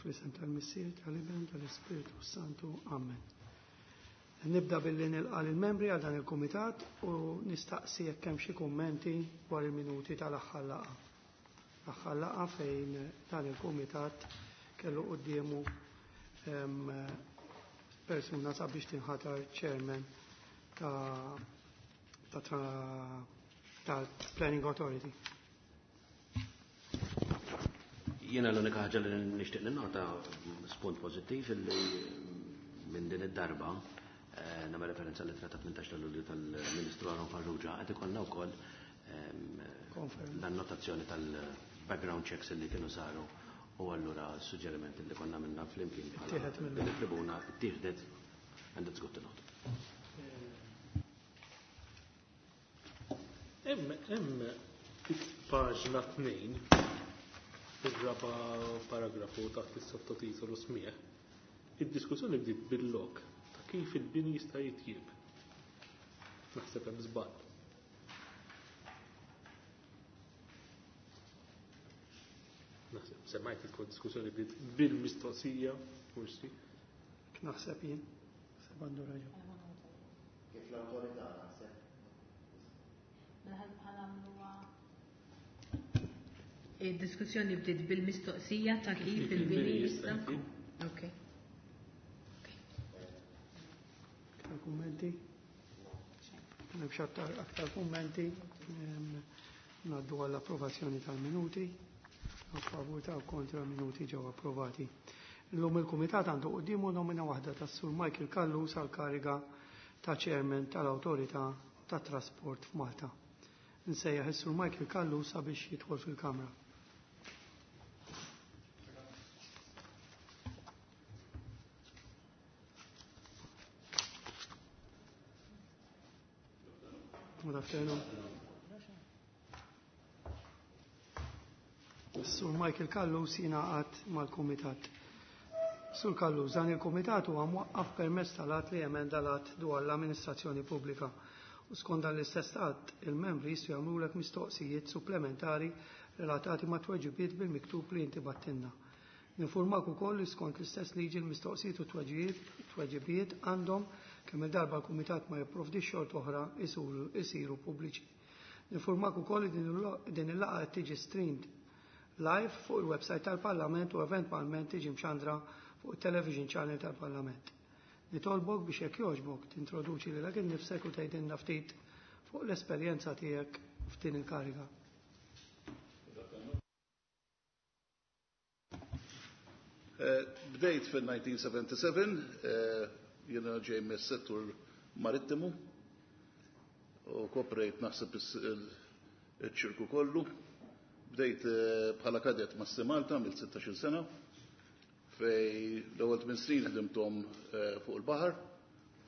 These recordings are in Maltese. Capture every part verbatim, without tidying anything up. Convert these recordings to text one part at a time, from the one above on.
Fl-isem tal-Missier, tal-Iben, tal-Ispirtu Santu. Amen. Nibda billi nilqa' lill-membri għal dan il-kumitat u nistaqsi jekk hemm xi kummenti dwar il-minuti tal-aħħar laqgħa. L-aħħar laqgħa fejn dan il-kumitat kellu quddiemu persuna sabiex tinħatar chairman ta' ta' ta' Planning Authority. Jiena l-unika ħaġa li nixtieq ninnota spunt pożittiv illi minn din id-darba eh, nagħmel referenza l-ittra ta' tmintax ta' Lulju tal-Ministru Aaron Farrugia qed ikollna wkoll ehm, l-annotazzjoni tal-background checks li kienu saru u allura s-suġġerimenti li konna minna flimkien bħala din it-tribuna ttieħdet and it's good to note. Hemm hemm paġna tnejn ir-raba' paragrafu taħt is-sottotitolu smieħ. Id-diskussjoni bdiet bil-lok ta' kif il-bini jista' jitjieb. Naħseb hemm żball. Naħseb semmajt il-diskussjoni bdiet bil-mistoqsija, forsi. Naħseb jien, naħseb għandu raġun. Kif l-awtorità naħseb? Id-diskussjoni bdiet bil-mistoqsija ta' kif il-bini jista' Ok. Aktar kummenti? M'hemmx aktar aktar kummenti. Ngħaddu għall-approvazzjoni tal-minuti. A favur ta' kontra minuti ġew approvati. Illum il-Kumitat għandu quddiemu nomina waħda tas-Sur Michael Callus għal kariga ta' Chairman tal-Awtorità tat Trasport f'Malta. Nsejjaħ is-Sur Michael Callus sabiex jidħol fil-Kamra. Good afternoon. Sur Michael Callus jingħaqad mal-Kumitat. Sur Callus, dan il-Kumitat huwa mwaqqaf permezz tal-att li emenda l-att dwar l-amministrazzjoni pubblika. U skont dan l-istess att, il-membri jistgħu jagħmlulek mistoqsijiet supplementari relatati ma' tweġibiet bil-miktub li inti battinna. Ninformak ukoll li skont l-istess liġi l-mistoqsijiet u tweġibiet għandhom kemm il-darba l-Kumitat ma jipprovdix xort oħra isiru pubbliċi. Ninformak ukoll li din il-laqgħa qed tiġi streamed live fuq il-website tal-Parlament u eventwalment tiġi mxandra fuq il-television channel tal-Parlament. Nitolbok biex jekk jogħġbok tintroduċi lilek innifsek u tgħidilna ftit fuq l-esperjenza tiegħek f'din il-kariga. Bdejt fil-nineteen seventy-seven, jiena ġej mis-settur marittimu u koprejt naħseb il-ċirku kollu. Bdejt bħala kadet ma' Malta mill sittax-il sena, fej l-ewwel tmien snin ħdimthom fuq il-baħar,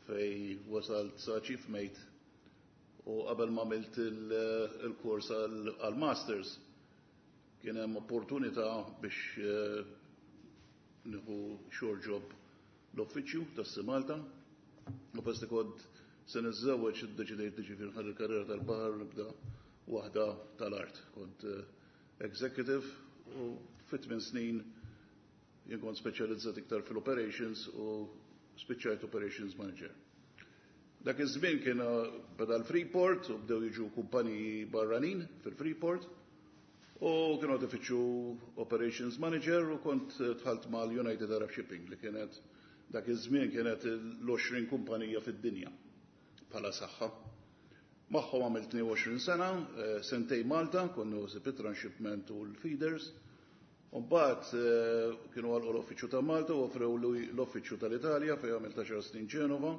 fej wasalt sa chief mate u qabel ma għamilt il-kors għal-masters kien hemm opportunità biex nieħu short job l-uffiċċju tas-Malta u pesti kont se niżżewweġ iddeċidejt li ġifieri nħalli l-karriera tal-baħar nibda waħda tal-art. Kont executive u fit tmien snin jien kont speċjalizzat iktar fil-operations u spiċċajt operations manager. Dak iż-żmien kien beda l-Freeport u bdew jiġu kumpaniji barranin fil-Freeport u kienu qed ifittxu operations manager u kont dħalt mal-United Arab Shipping li kienet dak iż-żmien kienet l-għoxrin kumpanija fid-dinja bħala saħħa. Magħhom għamilt tnejn u għoxrin sena, sentej Malta, konna nsib it-transshipment u l-feeders. U mbagħad kienu għalqu l-uffiċċju ta' Malta u offrew l-uffiċċju tal-Italja fejn għamilt għaxar snin Ġenova,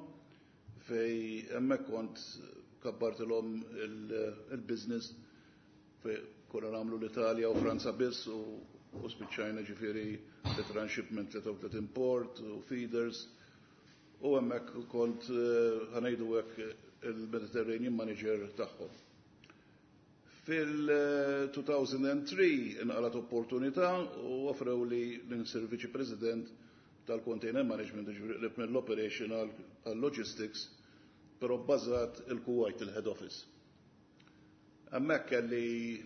fej hemmhekk kont kabbartilhom il-business fej konna nagħmlu l-Italja u Franza biss u spiċċajna ġifieri l-transshipment li tawtlet import u feeders u hemmhekk kont ħanejdu hekk il-Mediterranean Manager tagħhom. Fil-two thousand and three inqalat opportunità u offrew li l-insir Viċi President tal-Container Management, ġifieri qrib mill-Operation għal-Logistics, però bbażat il-Kuwait, il-Head Office. Hemmhekk kelli,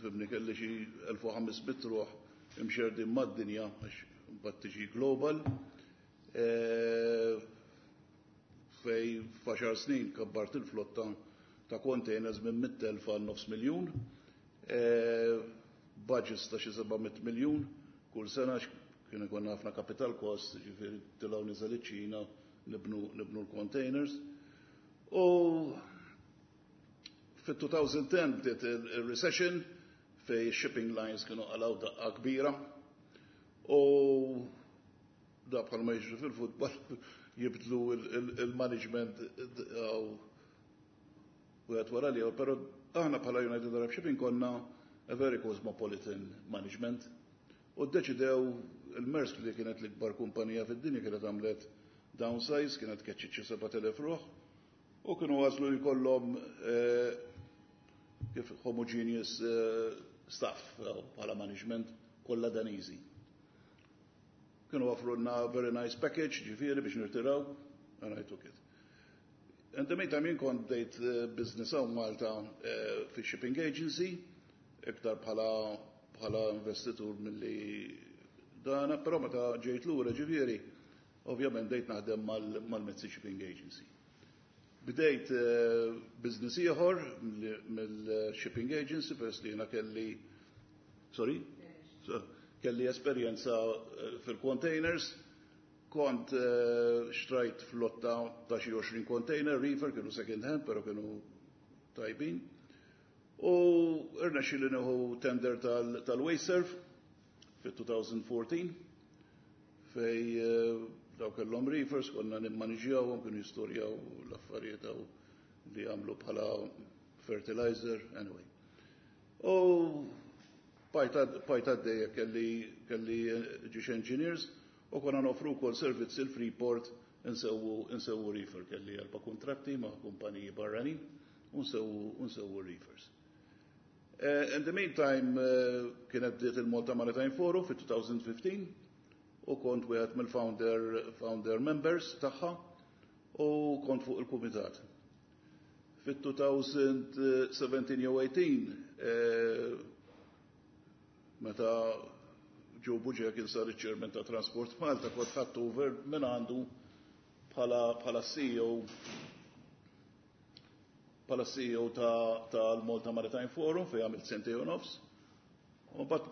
fimni, kelli xi elf u ħames mitt ruħ imxerdin mad-dinja, għax mbagħad tiġi global. Eh, fejn f'għaxar snin kabbart il-flotta ta' containers minn mitt elf għal nofs miljun. Eh, budgets ta' xi seba' mitt miljun kull sena, kien ikun ħafna capital cost, ġifieri tilgħu niżel iċ-Ċina nibnu, nibnu l-containers. U fit-elfejn u għaxra bdiet il-recession fejn shipping lines kienu qalgħu daqqa kbira. U da bħal ma jiġri fil-futbol, jibdlu il-management u għat wara li, pero aħna bħala United Arab Shipping konna a very cosmopolitan management. U ddeċidew il-Maersk, li kienet l-ikbar kumpanija fid-dinja, kienet għamlet downsize, kienet keċċiet xi sebat elef ruħ, u kienu għażlu jkollhom eh, kif homogeneous eh, staff eh, bħala management kollha Daniżi. Kienu offrulna very nice package, ġifieri biex nirtiraw, and I took it. And the meantime jien kont bdejt business hawn Malta fi shipping agency, iktar bħala bħala investitur milli dana, però meta ġejt lura ġifieri, ovvjament bdejt naħdem mal-Mezzi Shipping Agency. Bdejt business ieħor mill-shipping agency peress li jiena kelli, sorry? Kelli esperjenza fil-containers, kont xtrajt flotta ta' xi għoxrin container, reefer, kienu second hand, pero kienu tajbin. U irnexxieli nieħu tender tal-WasteServ fit-elfejn u erbatax fejn daw kellhom reefers, konna nimmaniġjawhom, kienu jistorjaw l-affarijiet li għamlu bħala fertilizer, anyway. U bqajt għaddejja, kelli kelli ġiex engineers u konna nofru kol servizz il-Freeport, insewu reefer, kelli erba' kontratti ma' kumpaniji barranin u nsewu reefers. Uh, in the meantime, uh, kienet bdiet il-Malta Maritime Forum fit-elfejn u ħmistax u kont wieħed mill-founder founder members tagħha u kont fuq il-kumitat. Fit-elfejn u sbatax jew tmintax, eh, meta Joe Bugeja kien sar iċ-chairman ta' Transport Malta, kont ħadt over minn għandu bħala bħala C E O bħala C E O tal-Malta Maritime Forum fejn għamilt sentejn u nofs. U mbagħad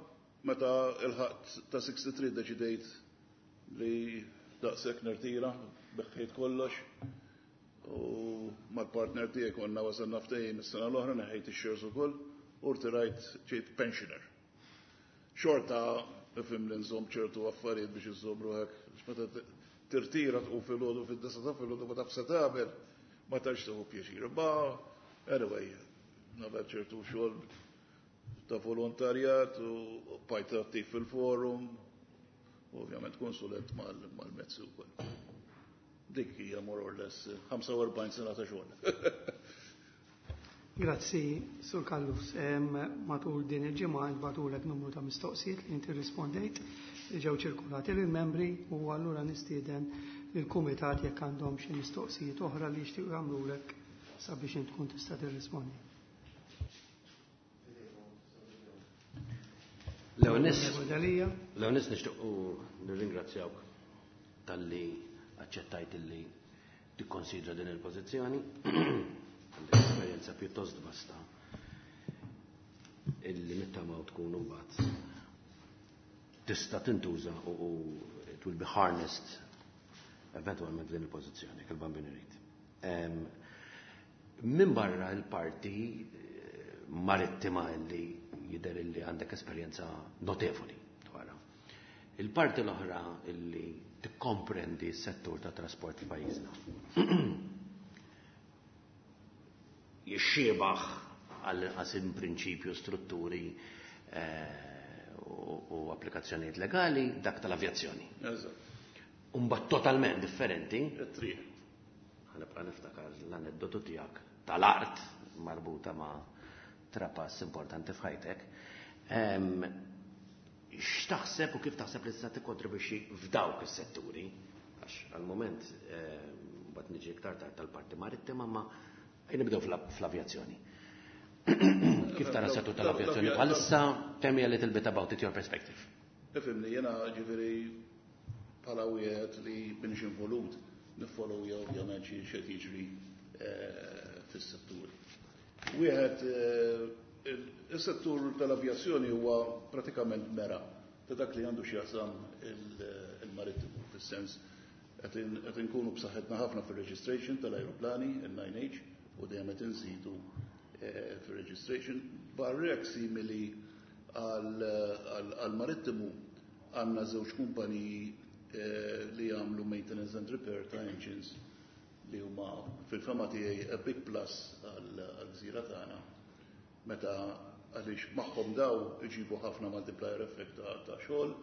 meta lħaqt ta' sittaħt tlieta deċidejt li daqshekk, nirtira, biegħt kollox. U mal-partner tiegħi konna wasalna ftehim is-sena l-oħra, neħħejt ix-shares ukoll u rtirajt, ġejt pensioner. Xorta ifhem li nżomm ċertu affarijiet biex iżomm ruħek, meta tirtira tqum filgħodu fid-disgħa ta' filgħodu ma taf se tagħmel, ma tantx tieħu pjaċir. Ma anyway, nagħmel ċertu xogħol ta' volontarjat u bqajt attiv fil-forum, u ovvjament konsulent mal-mezzi wkoll. Dik hija more or less ħamsa u erbgħin sena ta' xogħol. Grazzi, Sur Callus. Matul din il-ġimgħa ntbagħtulek numru ta' mistoqsijiet li inti rispondejt li ġew ċirkulati lill-membri u allura nistieden lill-kumitat jekk għandhom xi mistoqsijiet oħra li jixtiequ jagħmlulek sabiex int tkun tista' tirrispondi. Leonis, Leonis, nixtiequ nirringrazzjawk talli aċċettajt illi tikkonsidra din il-pożizzjoni. Għandek esperjenza pjuttost vasta illi nittamaw tkun imbagħad tista' tintuża u it will be harnessed eventualment din il-pożizzjoni, il-Bambin irid. Min barra l-parti eh, marittima illi jidher illi għandek esperjenza notevoli dwarha. Il-parti l-oħra illi tikkomprendi s-settur ta' trasport f'pajjiżna. Jixxiebaħ għall-inqas in prinċipju strutturi eh, u applikazzjonijiet legali dak tal-avjazzjoni. Umbat totalment differenti. Ħa nibqa' niftakar l-aneddotu tiegħek tal-art marbuta ma' trapass importanti f'ħajtek. X'taħseb u kif taħseb li tista' tikkontribwixxi f'dawk is-setturi? Għax għal-moment mbagħad niġi iktar tard tal-parti marittima, ma nibdew fl-avjazzjoni. Kif tara settur tal-avjazzjoni bħalissa? Tell me a little bit about it, your perspective. Ifhimni, jiena ġifieri bħala wieħed li minix involut niffollowja ovvjament xi x'qed jiġri eh, fis-settur. Wieħed, eh, is-settur tal-avjazzjoni huwa pratikament mera ta' dak li għandu x'jaqsam il-marittimu, fis-sens qed inkunu b'saħħitna ħafna fir-registration tal-ajruplani, il-nine H, u dejjem qed inżidu eh, fir-registration. Barrek simili għal-marittimu għandna żewġ kumpaniji eh, li jagħmlu maintenance and repair ta' engines li huma fil-fehma tiegħi a big plus għal-gżira tagħna meta għaliex magħhom daw iġibu ħafna multiplier effect ta' xogħol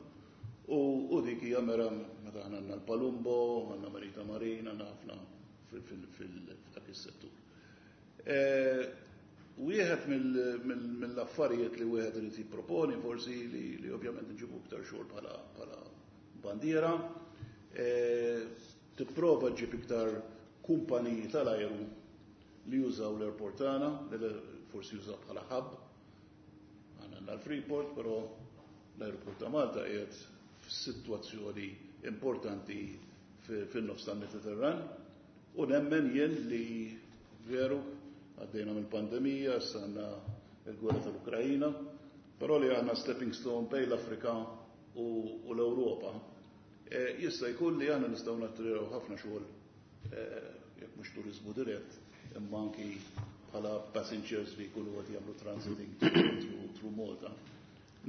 u, u dik hija mera meta aħna għandna l-Palumbo, għandna Marita Marina, għandna ħafna f'dak is-settur. Eh, wieħed mill-affarijiet li wieħed irid jipproponi forsi li, li ovvjament nġibu iktar xogħol bħala bħala bandiera, eh, tipprova ġib iktar kumpaniji tal-ajru li jużaw l-airport tagħna, li forsi jużaw bħala hub. Għandna l-Freeport, però l-airport ta' Malta qiegħed f'sitwazzjoni importanti fin-nofs tal-Mediterran u nemmen jien li veru għaddejna mill-pandemija, issa għandna il-gwerra tal-Ukrajina, però li għandna stepping stone bejn l-Afrika u l-Ewropa. E, jista' jkun li aħna nistgħu nattriraw ħafna xogħol, e, jekk mhux turizmu dirett, imma anki bħala passengers li jkunu qed jagħmlu transiting through, through Malta.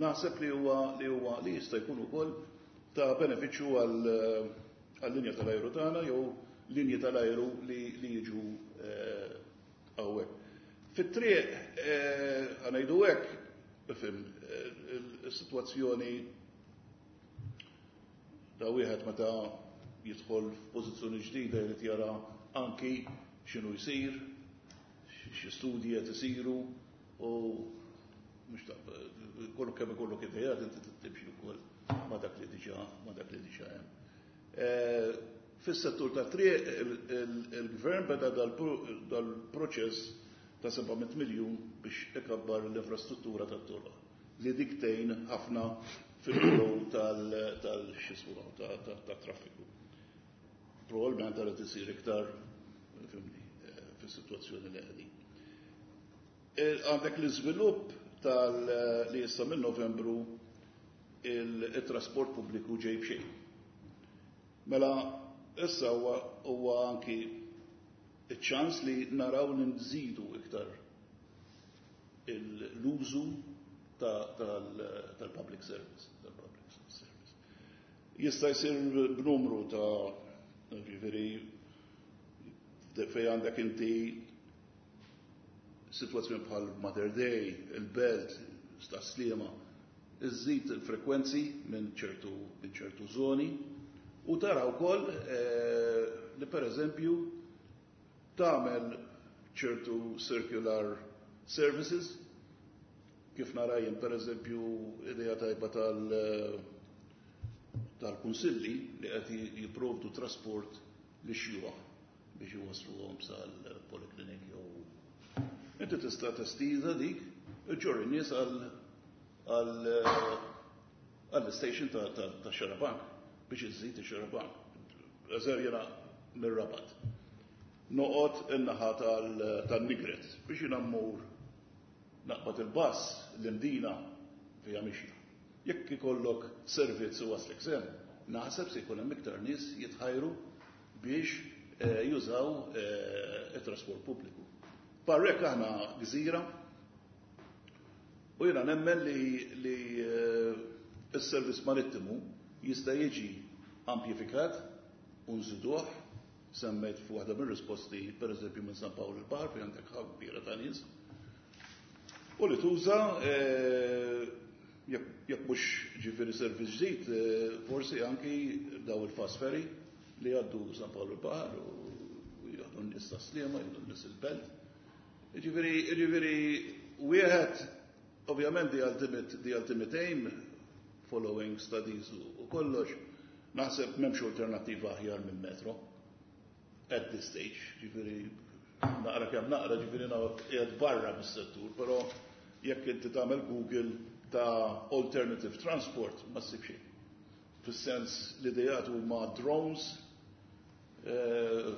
Naħseb li huwa li huwa li jista' jkun ukoll ta' benefiċċju għal linja tal-ajru tagħna jew linji tal-ajru li, li jiġu hawnhekk. Fit-triq, ħa ngħidu hekk, ifhem, is-sitwazzjoni da wieħed meta jidħol f'pożizzjoni ġdida jrid jara anki x'inhu jsir, xi studji qed isiru u mhux ta' kollu kemm ikollok idejat inti timxi wkoll ma' dak li diġà ma' dak li diġà hemm. Fis-settur ta' triq il-gvern beda dal-proċess ta' seba' mitt miljun biex ikabbar l-infrastruttura tat-toroq li dik tgħin ħafna fil-flow tal-xismu tat-traffiku. Probabbilment għara tisir iktar, fhimni, fis-sitwazzjoni li qegħdin. Għandek l-iżvilupp tal li issa minn Novembru il-trasport pubbliku ġej b'xejn. Mela issa huwa anki iċ-ċans li naraw li nżidu iktar l-użu tal-public service. Tal-public service. Jista' jsir b'numru ta' ġifieri fej għandek inti situazzjoni bħal Mater Dei, il-Belt, Tas-Sliema, iżżid il-frekwenzi minn ċertu minn ċertu zoni u tara wkoll eh, li per eżempju tagħmel ċertu circular services kif nara jien, per eżempju, idea tajba tal tal-kunsilli li qed jipprovdu trasport li xjuħ biex iwasluhom sal-poliklinik jew inti tista' testiża dik iġġorr in-nies għal għall-station ta' Xarabank biex iżżid ix-Xarabank. Eżer jiena mir-Rabat. Noqgħod in-naħa tan-Nigret biex jiena mmur naqbad il-bus l-Imdina fija mixja. Jekk ikollok servizz u waslek s'hemm, naħseb se jkun hemm iktar nies jitħajru biex eh, jużaw eh, it-trasport pubbliku. Barrek aħna gżira u jiena nemmen li, li eh, s-servizz marittimu jista' jiġi amplifikat u nżiduh, semmejt f'waħda mir-risposti, per eżempju, minn San Pawl il-Baħar fejn għandek ħab kbira ta' nies. U li tuża, jekk mhux ġifieri servizz ġdid, forsi anki daw il-fast ferry li għaddu San Pawl il-Baħar u jgħaddu n-nies Tas-Sliema, jgħaddu n-nies il-Belt. Ġifieri, ġifieri, wieħed, ovvjament, the ultimate, the ultimate aim, following studies u kollox, naħseb m'hemmx alternativa aħjar minn metro at this stage, ġifieri, naqra kemm naqra, ġifieri qiegħed barra mis-settur, però jekk inti tagħmel Google ta' alternative transport ma ssib xejn. Fis-sens l-idejat huma drones, uh,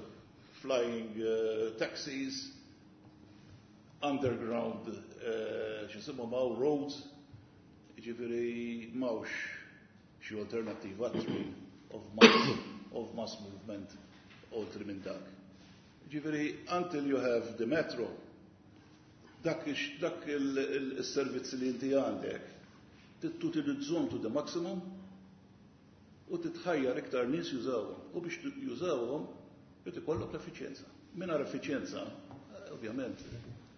flying uh, taxis, underground uh, x'jisimhom hawn roads, jiġifieri m'hawnx xi alternattiva train of mass, of mass movement oltre minn dak. Jiġifieri until you have the metro, dak dak il-servizzi li inti għandek, tutilizzahom to the maximum u titħajjar iktar nies jużawhom. U biex jużawhom, irid ikollok l-effiċjenza. Mingħajr effiċjenza, ovvjament,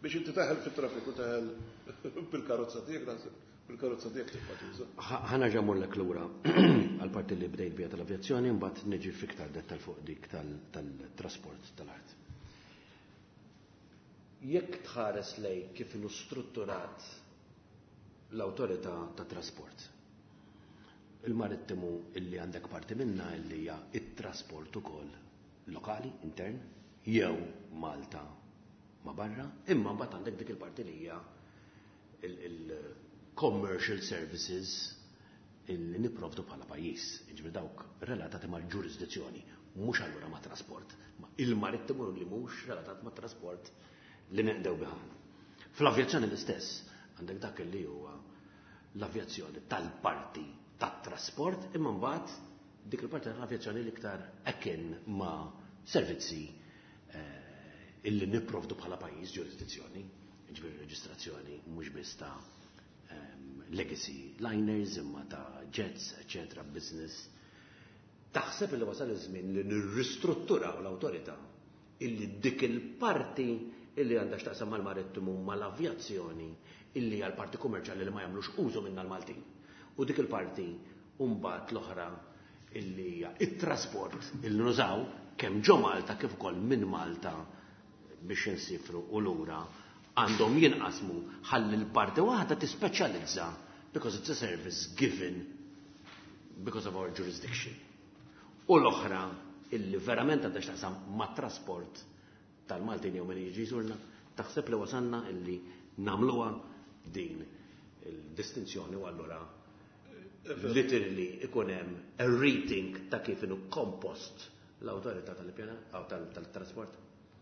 biex inti teħel fit-traffiku teħel bil-karozza tiegħek, naħseb bil-karozza tiegħek tibqa' tuża. Ħa nerġa' mmurlek lura għal-parti li bdejt bija tal-avjazzjoni, mbagħad niġi fiktar dettal fuq dik tal-trasport tal-art. Jekk tħares lej kif inhu strutturat l-awtorità ta' trasport, il-marittimu illi għandek parti minna illi hija it-trasport ukoll lokali, intern, jew Malta ma barra, imma mbagħad għandek dik il-parti li hija il-commercial services illi nipprovdu bħala pajjiż, jiġifieri dawk relatati mal-ġurisdizzjoni, mhux allura ma' trasport, ma il-marittimu li mhux relatat ma' trasport li neqdew biħan. Fl-avjazzjoni l-istess, għandek dak li huwa l-avjazzjoni tal-parti tat-trasport, imma mbagħad dik il-parti tal-avjazzjoni l-iktar akin ma' servizzi eh, illi nipprovdu bħala pajjiż ġurisdizzjoni, jiġifieri reġistrazzjoni mhux biss ta' um, legacy liners imma ta' jets, eccetera, business. Taħseb li wasal iż-żmien li nirristrutturaw l-awtorità illi dik il-parti illi għandha x'taqsam mal-marittimu mal-avjazzjoni illi hija l-parti kummerċjali li ma jagħmlux użu minna l-Maltin. U dik il-parti mbagħad l-oħra illi hija it-trasport illi nużaw kemm ġo Malta kif ukoll minn Malta biex insifru u lura għandhom jinqasmu ħalli l-parti waħda tispeċjalizza because it's a service given because of our jurisdiction. U l-oħra illi verament għandha x'taqsam mat-trasport tal-Maltin jew min jiġi jżurna, taħseb li wasalna illi nagħmluha din il-distinzjoni u allura literally ikun hemm a rethink ta' kif inhu kompost l-awtorità tal-ippjana aw tal-trasport.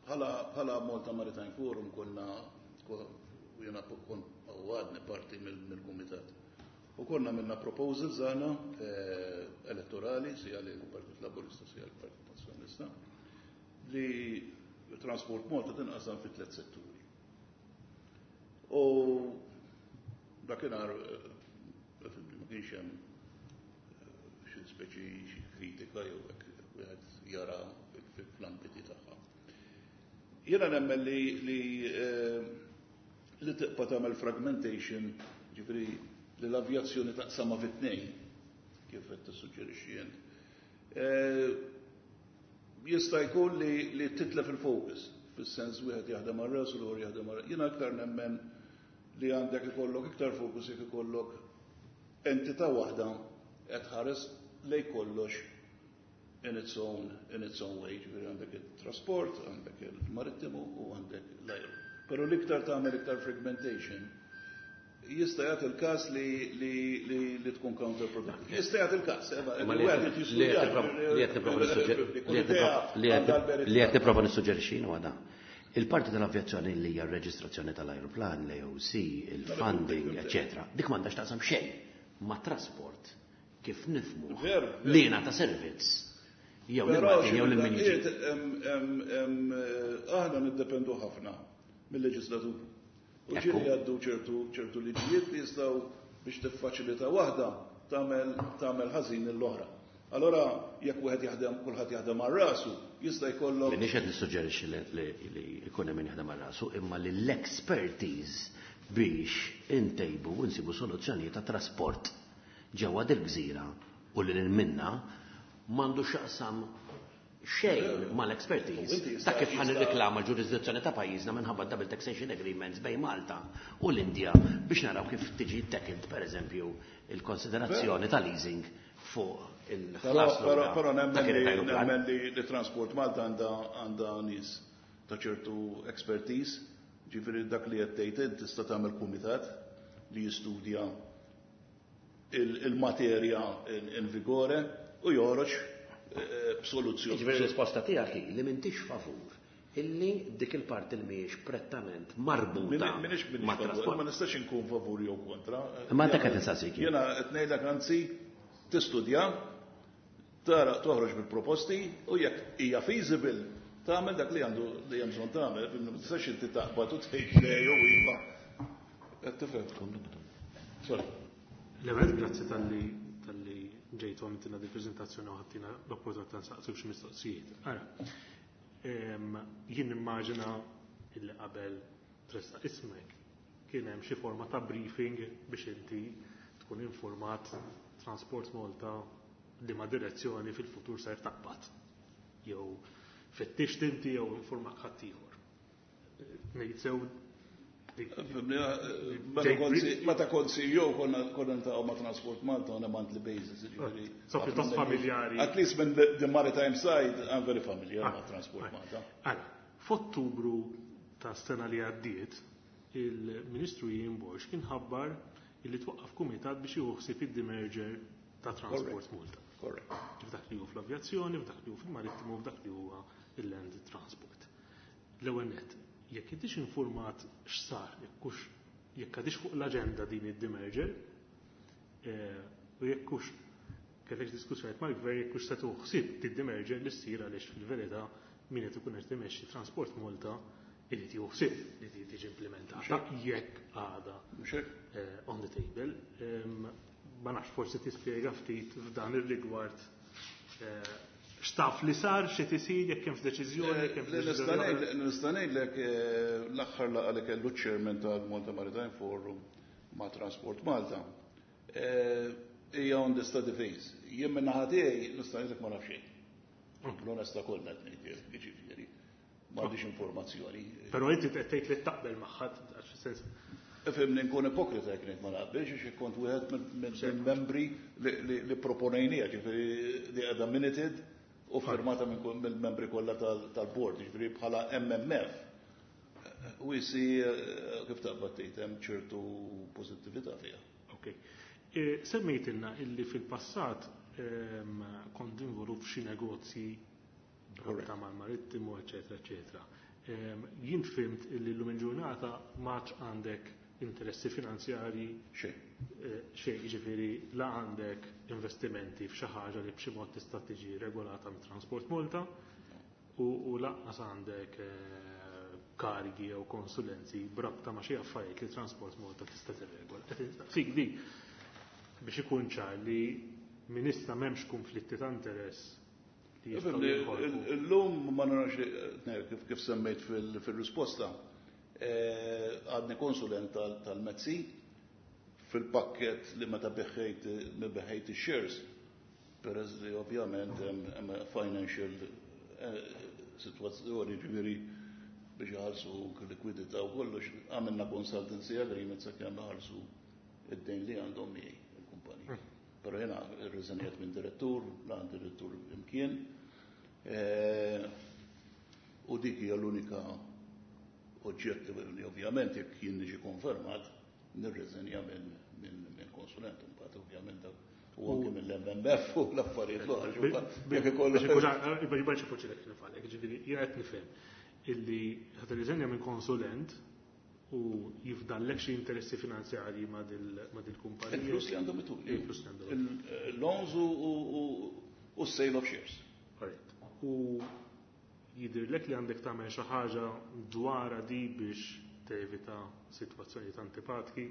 Bħala bħala Malta Maritime Forum konna jena kon għadni parti mill-kumitat. U konna minna proposals għana eh, elettorali, sija li l-Partit Laburista, sija l-Partit Nazzjonalista, li Transport Malta tinqasam fi tliet setturi. U dakinhar eh, ma kienx hemm eh, xi speċi xi kritika jew hekk wieħed jara fl-ambiti tagħha. Jiena nemmen li li eh, li tibqa' tagħmel fragmentation, ġifieri li l-avjazzjoni taqsama fi tnejn, kif qed tissuġġerixxi int. Jista' jkun li li titlef il-focus, fis-sens wieħed jaħdem għal rasu l jaħdem għal. Jiena aktar nemmen li għandek ikollok iktar focus jekk ikollok entità waħda qed ħares lej kollox in its own in its own way, ġifieri għandek il-trasport, għandek il-marittimu u għandek l-ajru. Però l-iktar tagħmel iktar fragmentation jista' jagħti il-każ li li li li tkun counterproductive. Jista' jagħti il-każ, eh, Ma li li qed nipprova nissuġġerixxi huwa dan. Il-parti tal-avjazzjoni li hija r-reġistrazzjoni tal-ajruplan, l-A O C, il-funding, eccetera, dik m'għandax taqsam xejn ma' trasport kif nifhmu Veru, li ta' servizz jew Però lil-Maltin jew lil min jiġi. xi em- em- em, eh, aħna niddependu ħafna mill-leġislatur. U Ekku. ġieli għaddu ċertu ċertu liġijiet li jistgħu biex tiffaċilita waħda tagħmel tagħmel ħażin l-oħra. Allora jekk wieħed jaħdem kulħadd jaħdem għal rasu, jista' jkollok Minix qed nissuġġerixxi li- li li jkun hemm min jaħdem għal rasu, imma li l-expertise biex intejbu u nsibu soluzzjonijiet ta' trasport ġewwa dil-gżira u li lil minna m'għandu x'jaqsam xejn mal-expertise U inti ta' kif jista' ħan jista' nirriklama l-ġurisdizzjoni ta' pajjiżna minħabba double taxation agreements bejn Malta u l-Indja biex naraw kif tiġi tackled pereżempju il-konsiderazzjoni ta' leasing fuq Però il-ħlas però lura però ta' nemmen kien li ajruplan. nemmen li li Transport Malta għandha għandha nies ta' ċertu expertise, ġifieri dak li qed tgħid int tista' tagħmel kumitat li jistudja il-materja in vigore u joħroġ eh, b'soluzzjoni. Jiġifieri l-risposta tiegħek hi li m'intix favur illi dik il-parti li mhijiex prettament marbuta Minix ma' minix favur, trasport. ma nistax inkun favur jew kontra. Ma dak qed insaqsik jien. Jiena qed ngħidlek anzi tistudja, tara toħroġ bil-proposti u jekk hija feasible tagħmel dak li għandu li hemm bżonn tagħmel, ma tistax inti taqbad u tgħid le jew iva. Qed tifhem. Sorry. L-ewwel grazzi talli talli ġejtu għamiltilna di preżentazzjoni u ħadtina l-opportunità nsaqsuk xi mistoqsijiet. Ara, em, jien nimmaġina illi qabel tressaq ismek kien hemm xi forma ta' briefing biex inti tkun informat Transport Malta li ma' direzzjoni fil-futur ser taqbad. Jew fittixt inti jew informak ħaddieħor. Ngħid sew dik- Meta kont C- Meta kont C E O konna konna niltaqgħu ma' Transport Malta on a monthly basis, jiġifieri. So pjuttost familjari. At least minn the, the maritime side, I'm very familiar ma' Transport Malta. Għala, f'Ottubru ta' sena li għaddiet, il-Ministru Ian Borg kien ħabbar illi twaqqaf kumitat biex jieħu ħsieb id-demerger ta' Transport Malta. Correct. F'dak li hu fl-avjazzjoni, f'dak li hu fil-marittimu, f'dak li huwa il-land transport. L-ewwel nett, jekk intix informat x'sar, jekk hux jekk għadix fuq l-aġenda din id-demerger, eh, u jekk hux kellek diskussjonijiet mal-gvern jekk hux se tieħu ħsieb id-demerger li ssir, għaliex fil-verità min qed ikun qed imexxi Transport Malta irid jieħu ħsieb li din tiġi implementata jekk għada Mhux hekk? eh, on the table. Em, Ma nafx, forsi tispjega ftit f'dan ir-rigward eh, x'taf li sar, xi tisir, jekk hemmx deċiżjoni, jekk hemmx deċiżjoni oħra. Nista' ngħidlek eh, l-aħħar laqgħa li kellu chairman tal-Malta Maritime Forum ma' Transport Malta eh, hija on the study phase. Jien minn naħa tiegħi nista' ngħidlek ma naf xejn. L-onesta kollha qed ngħid, jiġifieri. M'għandix informazzjoni. Però inti qed tgħid li taqbel magħha, għax fis-sens Ifhimni, nkun ipokrita jekk ngħid ma naqbilx, għax kont wieħed mill-membri li li proponejnija, ġifieri li qiegħda minuted u firmata minn kull- mill-membri kollha tal-board, ġifieri bħala M M F. U jisi kif taqbad tgħid hemm ċertu pożittività fiha. Ok. E, Semmejtilna illi fil-passat em, kont involut f'xi negozji Correct. ta' mal-marittimu, eċetera, eċetera. Em, Jien fhimt illi llum il-ġurnata m'għadx għandek interessi finanzjarji Xejn. eh, xejn, jiġifieri la għandek investimenti f'xi ħaġa li b'xi mod tista' tiġi regolata mit Transport Malta u, u lanqas għandek eh, karigi jew konsulenzi b'rabta ma' xi affarijiet li Transport Malta tista' tirregola. Qed nistaqsik di biex ikun ċar li minn issa m'hemmx konflitti ta' interess li jistgħu Ifhimni, jinħolqu. Illum ma narax li- eh, kif kif semmejt fil- fil-risposta. eh, Għadni konsulent tal- tal-M E T C fil-pakket li meta biegħt biegħt shares, peress li ovvjament hemm hemm financial eh, situazzjoni, ġifieri biex jħallsu likwidità u kollox, għamilna consultancy agreement sakemm iħallsu id-dejn li għandhom miegħi il-kumpanija. Però jiena rriżenjat minn direttur, la għand direttur imkien. Eh, U dik hija l-unika oġġett li ovvjament jekk jien niġi konfermat nirriżenja minn minn minn konsulent, imbagħad ovvjament dak u anke mill-M M F u l-affarijiet l-oħra. Jekk ikollu Biex ikun biex ikun nifalek, ġifieri jien qed nifhem illi ħa tirriżenja minn konsulent u jifdallek xi interessi finanzjarji ma' dil-kumpanija. Il-flus li għandhom ituli. Il-flus li għandhom. Il-loans u u sale of shares. Correct. U jidirlek li għandek tagħmel xi ħaġa dwar di biex tevita sitwazzjonijiet antipatki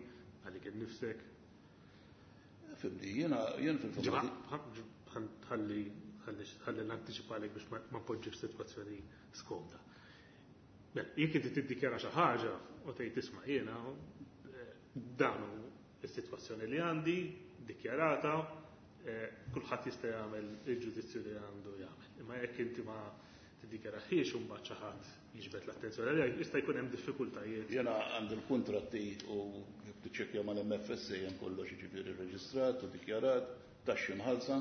għalik innifsek. Fhimni, jiena jien fil-fatt Ħalli ħalli l-anticipalek biex ma poġġi f'sitwazzjoni skomda. Mela, jekk inti tiddikjara xi ħaġa u tgħid, "Isma', jiena eh, dan hu is-sitwazzjoni li għandi dikjarata", eh, kulħadd jista' jagħmel il-ġudizzju li għandu jagħmel. Imma jekk inti ma tiddikjaraħiex u mbagħad xi ħadd jiġbed l-attenzjoni għalija, jista' jkun hemm diffikultajiet. Jiena għandi l-kontratti u jekk tiċċekkja mal-M F S A hemm kollox, jiġifieri reġistrat u dikjarat, taxxi mħallsa,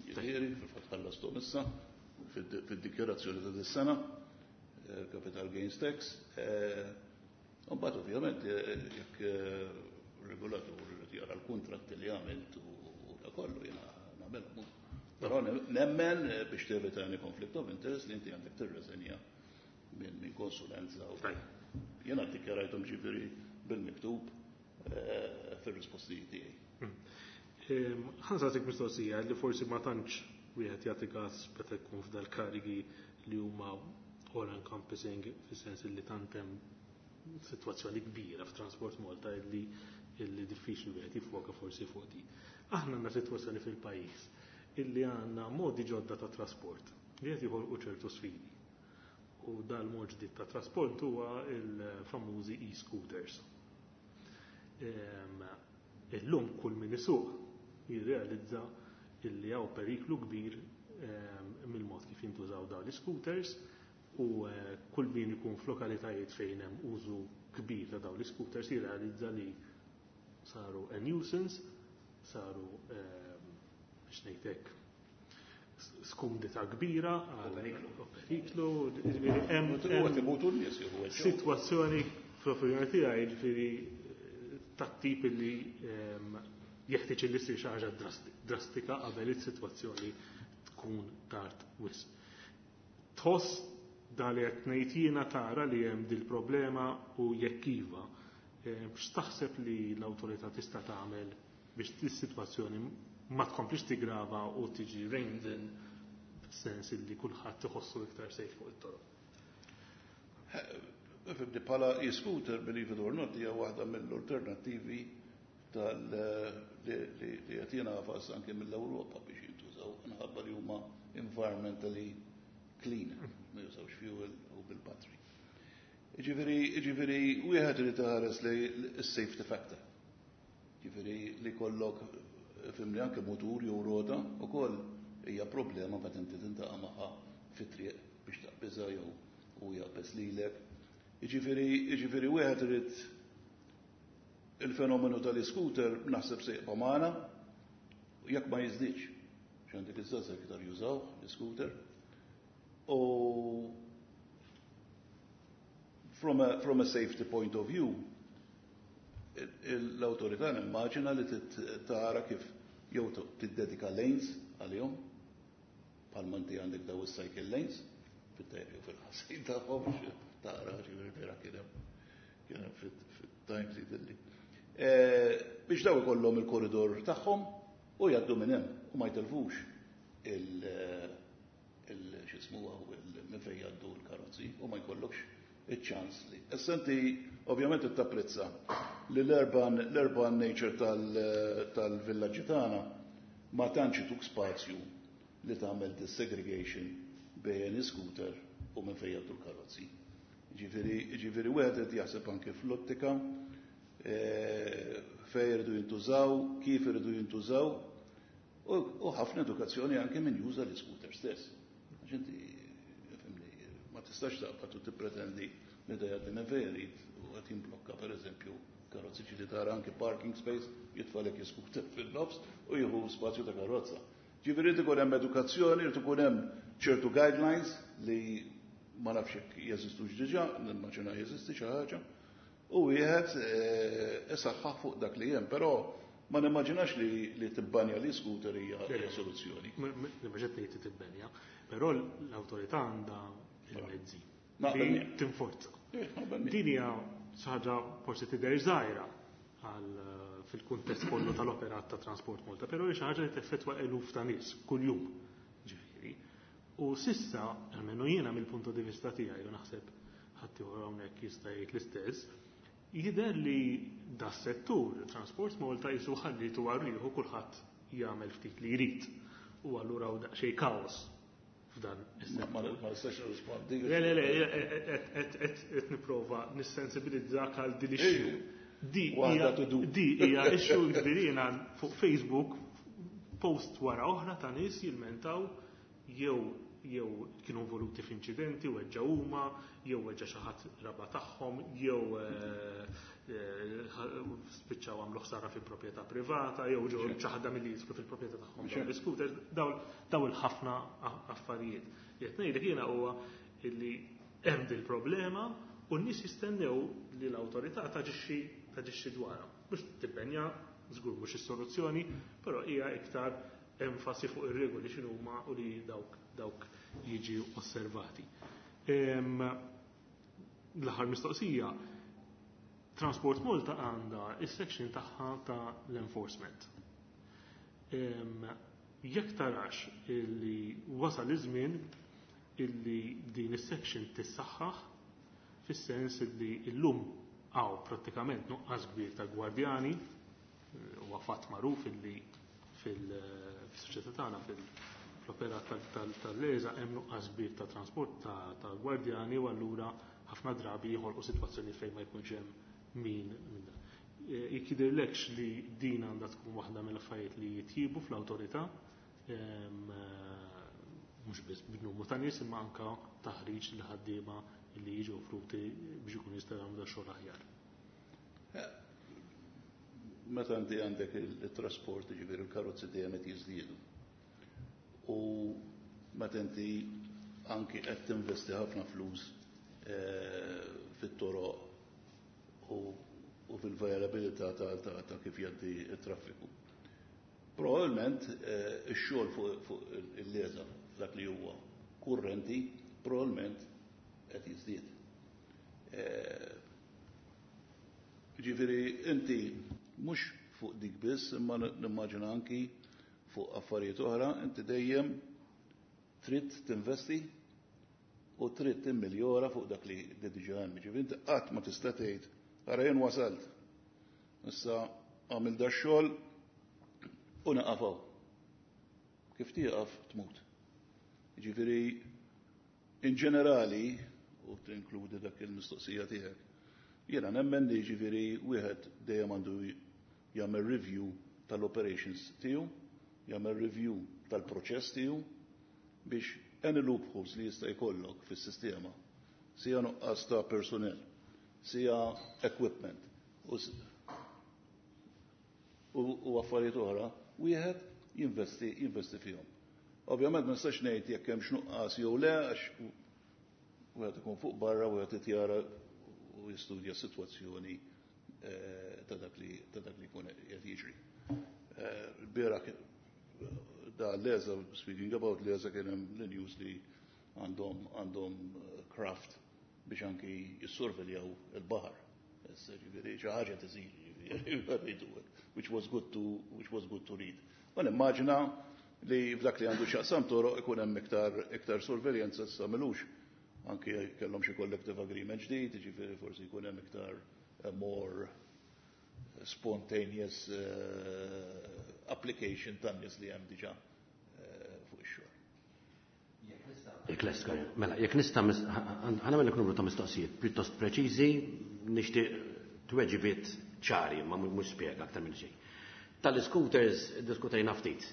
jiġifieri fil-fatt ħallasthom issa fid-dikjarazzjoni ta' dis-sena, eh, capital gains tax. eh, U mbagħad ovvjament eh, jekk regolatur irid jara l-kontratti li għamilt u kollu jiena nagħmelhom. Però nemmen biex tevita any conflict of interest li inti għandek tirreżenja minn konsulenza. Jiena ddikjarajthom ġifieri bil-miktub fir-risposti tiegħi. Ħa nsaqsik mistoqsija li forsi ma tantx wieħed jagħti każ meta jkun f'dal-karigi li huma all encompassing, fis-sens li tant hemm sitwazzjoni kbira f'Transport Malta illi illi diffiċli wieħed jiffoka forsi fuq di. Aħna għandna sitwazzjoni fil-pajjiż illi għandna modi ġodda ta' trasport li qed joħolqu ċertu sfidi. U dal-mod ġdid ta' trasport huwa il-famużi e-scooters. Illum kull min isuq jirrealizza illi hawn periklu kbir mill-mod kif jintużaw dawn l-scooters u kull min ikun f'lokalitajiet fejn hemm użu kbir ta' dawn l-scooters jirrealizza li saru a nuisance, saru biex ngħidlek skumdità kbira għal periklu, hemm sitwazzjoni fl-opinjoni tiegħi ġifieri tat-tip li jeħtieġ li ssir xi ħaġa drastika qabel is-sitwazzjoni tkun tard wisq. Tħoss dan li qed ngħid jiena tara li hemm dil-problema u jekk iva, x'taħseb li l-awtorità tista' tagħmel biex is-sitwazzjoni ma tkomplix tigrava u tiġi reined in fis-sens li kulħadd iħossu iktar safe fuq it-toroq? Fibdi bħala e-scooter, believe it or not, hija waħda mill-alternattivi li qed jingħafas anke mill-Ewropa biex jintużaw minħabba li huma environmentally clean, ma jużawx fuel u bil-battery. Ġifieri, ġifieri, wieħed irid iħares li s-safety factor. Ġifieri li kollok fimni anke motur jew rota ukoll hija problema meta inti tintaqa' magħha fit-triq biex taqbiżha jew u jaqbeż lilek. Ġifieri, ġifieri wieħed irid il-fenomenu tal-scooter naħseb se jibqa' magħna jekk ma jiżdiedx. X'għandek iż-żgħażagħ iktar jużaw l-scooter. U from a, from a safety point of view, l-autorità nimmaġina li tara kif jew tiddedika lanes għalihom, bħalma inti għandek daw is-cycle lanes, fit-tajjeb jew fil-ħażin tagħhom tara ġifieri vera kien hemm kien hemm fit-Times jidilli. Biex daw ikollhom il-korridor tagħhom u jgħaddu minn hemm u ma jtelfux il x'ismu minn fejn jgħaddu l-karozzi u ma jkollokx iċ-ċans li. Issa inti ovvjament tapprezza li l-urban l-urban nature tal-villaġġi tagħna ma tantx ituk spazju li tagħmel segregation bejn scooter u minn fejn jgħaddu l-karozzi. Ġifieri, ġifieri wieħed qed jaħseb anke fl-ottika fejn iridu jintużaw, kif iridu jintużaw, u ħafna edukazzjoni anke min juża l-scooter stess. Għax inti ma tistax taqbad u tippretendi li da jgħaddi minn fejn irid u qed jimblokka pereżempju karozzi ġieli tara anke parking space jitfalek scooter fil-nofs u jieħu spazju ta' karozza. Ġifieri irid ikun hemm edukazzjoni, irid ikun hemm ċertu guidelines li ma nafx jekk jeżistux diġà, nimmaġina jeżisti xi ħaġa, u wieħed isaħħaħ fuq dak li hemm, però ma nimmaġinax li li tibbanja li scooter hija soluzzjoni. Ma ġed ngħid tibbenja, però l-awtorità għandha il-mezzi li tinforza. Din hija xi ħaġa forsi tidher żgħira għal fil-kuntest kollu tal-operat ta' Transport Malta, però hija xi ħaġa li teffettwa eluf ta' nies kuljum. Ġifieri. U sissa, almenu jiena mill-punto di vista tiegħi u naħseb ħadd ieħor hawnhekk jista' jgħid l-istess, jidher li da settur Transport Malta jisu ħallitu għarriħu kulħadd jagħmel ftit li jrid. U allura hawn daqsxejn kaos f'dan is-settur. Ma nistax nirrispondi. Le, le, le, qed nipprova nissensibilizzak għal din issue. Di hija issue ġifieri jiena fuq Facebook post wara oħra ta' nies jilmentaw jew jew kienu involuti f'inċidenti u weġġa huma, jew weġġa xi ħadd raba tagħhom, jew spiċċaw għamlu ħsara fi proprjetà privata, jew ġew ċaħda milli jidħlu fil-proprjetà tagħhom dawn l-scooters, daw il-ħafna affarijiet. Li qed ngħidlek jiena huwa illi hemm dil-problema u n-nies jistennew li l-awtorità taġixxi taġixxi dwarha biex tibbenja Żgur mhux is-soluzzjoni, però hija iktar enfasi fuq ir-regoli x'inhuma u li dawk dawk jiġi osservati. L-aħħar mistoqsija, Transport Malta għandha is-section tagħha ta' l-enforcement. Jekk tarax illi wasal iż-żmien illi din is-section tissaħħaħ fis-sens illi llum hawn prattikament nuqqas kbir ta' gwardjani, huwa fatt magħruf illi fil-soċjetà tagħna fil-operat tal-LESA hemm nuqqas kbir ta' trasport ta' gwardjani u allura ħafna drabi joħolqu sitwazzjoni fejn ma jkunx hemm min min. Jekk jidhirlekx li din għandha tkun waħda mill-affarijiet li jitjiebu fl-awtorità, mhux biss b'numru ta' nies imma anke taħriġ li ħaddiema li jiġu offruti biex ikun jistgħu jagħmlu da xogħol aħjar. Meta inti għandek il-trasport, ġifieri il-karozzi dejjem qed jiżdiedu. U meta inti anki qed tinvesti ħafna flus fit-toroq u fil-viabilità ta' kif jgħaddi t-traffiku. Probabilment ix-xogħol fuq il-LESA dak li huwa kurrenti probabbilment qed jiżdied. Ġifieri inti mhux fuq dik biss, imma nimmaġina anki fuq affarijiet oħra, inti dejjem trid tinvesti u trid timmiljora fuq dak li diġà hemm. Ġifieri inti qatt ma tista' tgħid ara jien wasalt. Issa għamil da xogħol u naqafaw. Kif tieqaf tmut. Ġifieri in ġenerali, u tinkludi dak il-mistoqsija tiegħek, jiena nemmen li ġifieri wieħed dejjem għandu jagħmel review tal-operations tiegħu, jagħmel review tal-proċess tiegħu biex any loopholes li jista' jkollok fis-sistema, sija nuqqas ta' personnel, sija equipment u affarijiet oħra, wieħed jinvesti jinvesti fihom. Ovvjament ma nistax ngħid jekk hemm x'nuqqas jew le għax wieħed ikun fuq barra wieħed jara u jistudja s-sitwazzjoni ta' dak li ta' dak li jkun qed jiġri. Bieraħ da LESA, speaking about LESA, kien hemm l-news li għandhom għandhom craft biex anki jissorveljaw il-baħar. Ġifieri xi ħaġa tisir, which was good to which was good to read. Ma nimmaġina li f'dak li għandu x'jaqsam toroq ikun hemm iktar iktar sorveljanza issa milux anki kellhom xi collective agreement ġdid, ġifieri forsi jkun hemm iktar more spontaneous uh, application tan-nies li hemm diġà fuq ix-xogħol. Jekk lest, mela, jekk nista' ħa nagħmel numru ta' mistoqsijiet pjuttost preċiżi, nixtieq tweġibiet ċari, ma mhux spjega aktar minn xejn. Tal-scooters diskutejna ftit.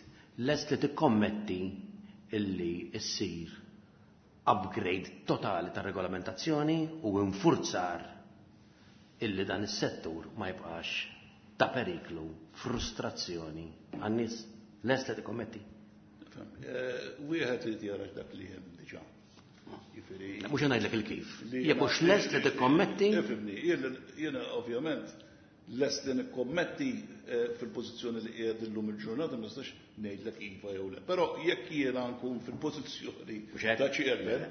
Lest li tikkommetti illi issir upgrade totali ta' regolamentazzjoni u infurzar illi dan is-settur ma jibqax ta' periklu, frustrazzjoni għan-nies. Lest li tikkommetti? Wieħed li jara dak li hemm diġà. Jiġifieri Mhux ngħidlek il-kif. Jekk hux lest li tikkommetti? Ifhimni, jiena ovvjament lest li nikkommetti fil-pożizzjoni li qiegħed illum il-ġurnata ma nistax ngħidlek iva jew le. Però jekk jiena nkun fil-pożizzjoni ta' chairman,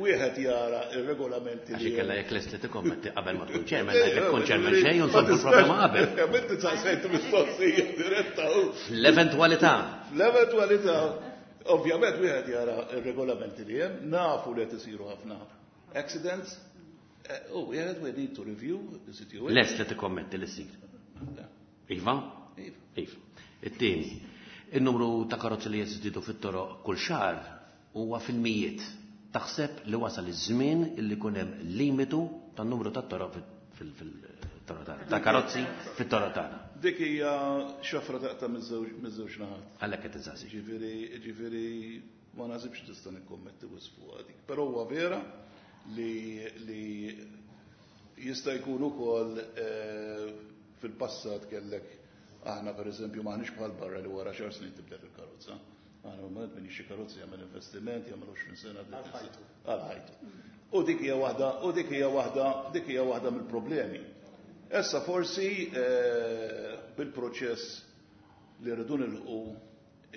wieħed jara ir-regolamenti li. Għax kella jekk lest li tikkommetti qabel ma tkun chairman, ngħidlek tkun chairman xejn u nsolvu l-problema qabel. Inti saqsejt mistoqsija diretta. L-eventwalità. L-eventwalità. Ovvjament wieħed jara ir-regolamenti li hemm, nafu li qed isiru ħafna accidents. Oh, we had, we need to review the situation. Lest li tikkommetti li ssir. Iva? Iva. Iva. It-tieni, il-numru ta' karozzi li jeżidu fit-toroq kull xahar huwa fil-mijiet. Taħseb li wasal iż-żmien illi jkun hemm limitu tan-numru ta' toroq fil-toroq tagħna, ta' karozzi fit-toroq tagħna. Dik hija xafra taqta' miż-żewġ naħat. Għalhekk qed insaqsi. Ġifieri, ġifieri ma naħsibx tista' nikkommetti wisq fuq dik. Però huwa vera li li jista' jkun ukoll fil-passat kellek aħna pereżempju m'aħniex bħal barra li wara xar snin tibdel il-karozza. Aħna normalment min jixtri karozza jagħmel investiment, jagħmel għoxrin sena għal ħajtu. U dik hija waħda, u dik hija waħda, dik hija waħda mill-problemi. Issa forsi eh, bil-proċess li rridu nilħqu